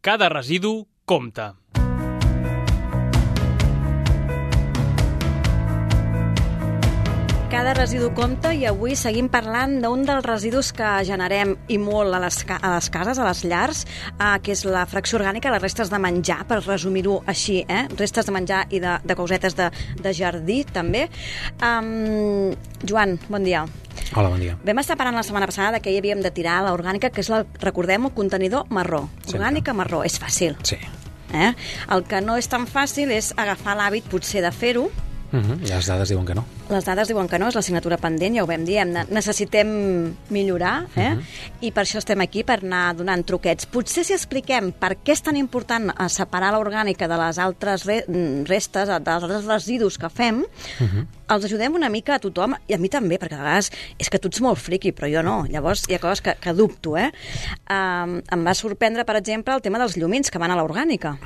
Cada residu compta. Cada residu compta i avui seguim parlant d'un dels residus que generem i molt a les cases, a les llars, que és la fracció orgànica, les restes de menjar, per resumir-ho així, restes de menjar i de cosetes de jardí, també. Joan, bon dia. Hola, bon dia. Vam estar parlant la setmana passada que hi havíem de tirar l'orgànica, que és, recordem-ho, contenidor marró. Orgànica marró, és fàcil. Sí. El que no és tan fàcil és agafar l'hàbit, potser, de fer-ho. Les dades diuen que no. Les dades diuen que no, és l'assignatura pendent, ja ho vam dir, necessitem millorar, i per això estem aquí, per anar donant truquets. Potser si expliquem per què és tan important separar l'orgànica de les altres restes, dels altres residus que fem, els ajudem una mica a tothom, i a mi també, perquè a vegades és que tu ets molt friqui, però jo no. Llavors hi ha coses que dubto. Em va sorprendre, per exemple, el tema dels llumins que van a l'orgànica.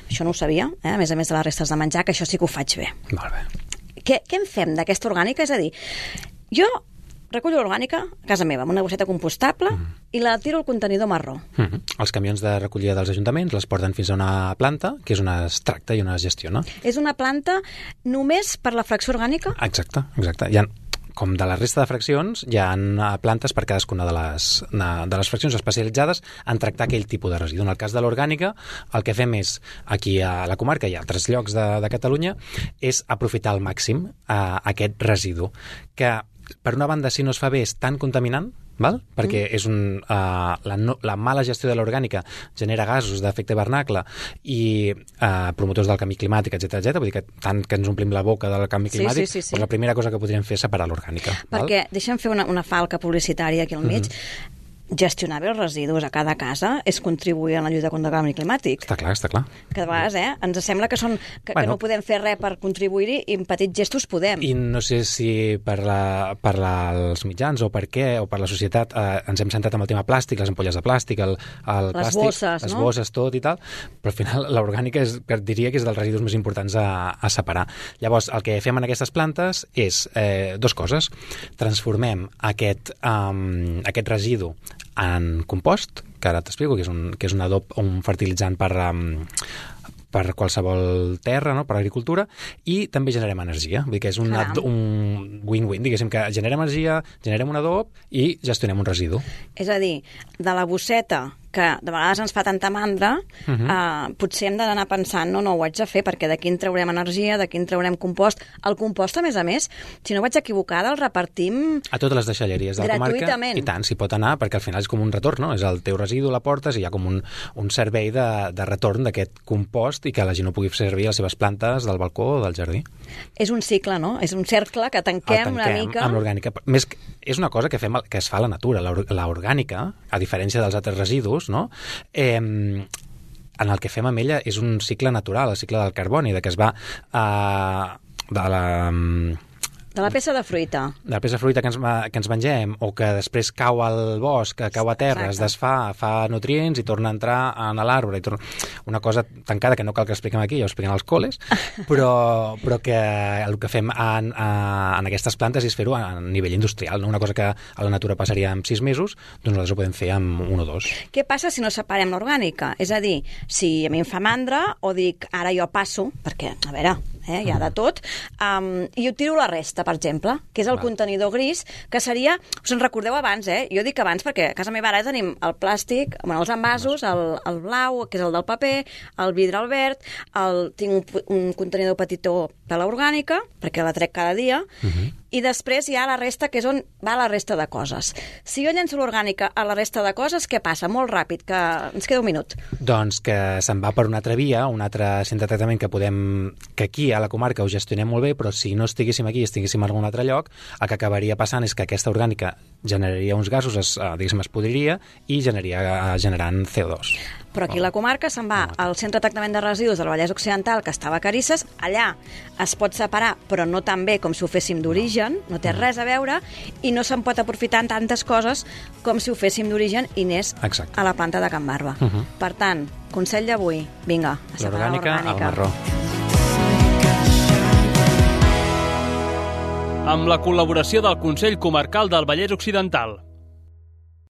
Això no ho sabia, a més de les restes de menjar, que això sí que ho faig bé. Molt bé. Què en fem d'aquesta orgànica? És a dir, jo recullo l'orgànica a casa meva amb una bosseta compostable i la tiro al contenidor marró. Els camions de recollida dels ajuntaments les porten fins a una planta, que és on es tracta i on es gestiona. És una planta només per la fracció orgànica? Exacte. Hi ha, com de la resta de fraccions, hi ha plantes per cadascuna de les fraccions especialitzades en tractar aquell tipus de residu. En el cas de l'orgànica, el que fem és, aquí a la comarca i a altres llocs de Catalunya, és aprofitar al màxim aquest residu, que per una banda, si no es fa bé, és tan contaminant, perquè és la mala gestió de l'orgànica genera gasos d'efecte hivernacle i promotors del canvi climàtic, etc. Vull dir que tant que ens omplim la boca del canvi climàtic, sí. Doncs la primera cosa que podríem fer és separar l'orgànica. Perquè, deixa'm fer una falca publicitària aquí al mig, gestionar bé els residus a cada casa és contribuir a la lluita contra el canvi climàtic. Està clar. Que de vegades, ens sembla que no podem fer res per contribuir-hi i en petits gestos podem. I no sé si per els mitjans o per què, o per la societat, ens hem centrat en el tema plàstic, les ampolles de plàstic, el plàstic, bosses, les bosses, tot i tal, però al final l'orgànica diria que és dels residus més importants a separar. Llavors, el que fem en aquestes plantes és dues coses. Transformem aquest residu en compost, que ara t'explico, que és un adob, un fertilitzant per qualsevol terra, per agricultura, i també generem energia. Vull dir que és un win-win, diguéssim, que generem energia, generem un adob i gestionem un residu. És a dir, de la bosseta, que de vegades ens fa tanta mandra, potser hem d'anar pensant, no, ho haig de fer, perquè d'aquí en traurem energia, d'aquí en traurem compost. El compost, a més, si no vaig equivocada, el repartim a totes les deixalleries de la comarca. Gratuïtament. I tant, s'hi pot anar, perquè al final és com un retorn, no? És el teu residu, la portes, i hi ha com un servei de retorn d'aquest compost i que la gent ho pugui fer servir a les seves plantes del balcó o del jardí. És un cicle, no? És un cercle que tanquem una mica. Amb l'orgànica. Més, és una cosa que es fa a la natura. L'orgànica, a diferència dels altres residus, no? En el que fem amb ella és un cicle natural, el cicle del carboni, que es va de la peça de fruita. De la peça de fruita que ens mengem, o que després cau al bosc, que cau a terra, es desfà, fa nutrients i torna a entrar en l'arbre. Una cosa tancada que no cal que expliquem aquí, ja ho expliquem als col·les, però que el que fem en aquestes plantes és fer-ho a nivell industrial, no? Una cosa que a la natura passaria en 6 mesos, doncs nosaltres ho podem fer en 1 o 2. Què passa si no separem l'orgànica? És a dir, si a mi em fa mandra, o dic, ara jo passo, perquè, a veure, hi ha de tot, i ho tiro a la resta, per exemple, que és el contenidor gris, que seria, us en recordeu abans, jo dic abans perquè a casa meva ara tenim el plàstic, els envasos, el blau, que és el del paper, el vidre al verd, tinc un contenidor petitó per l'orgànica, perquè la trec cada dia, i després hi ha la resta, que és on va la resta de coses. Si jo llenço l'orgànica a la resta de coses, què passa? Molt ràpid, que ens queda un minut. Doncs que se'n va per una altra via, un altre centre de tractament que aquí a la comarca ho gestionem molt bé, però si no estiguéssim aquí i estiguéssim en algun altre lloc, el que acabaria passant és que aquesta orgànica generaria uns gasos, diguéssim, es podriria i generant CO2. Però aquí a la comarca se'n va al centre de tractament de residus del Vallès Occidental, que estava a Carisses. Allà es pot separar, però no tan bé com si ho féssim d'origen, no té res a veure, i no se'n pot aprofitar en tantes coses com si ho féssim d'origen i anés a la planta de Can Barba. Per tant, consell d'avui, vinga, a separar l'orgànica. Al marró. Amb la col·laboració del Consell Comarcal del Vallès Occidental.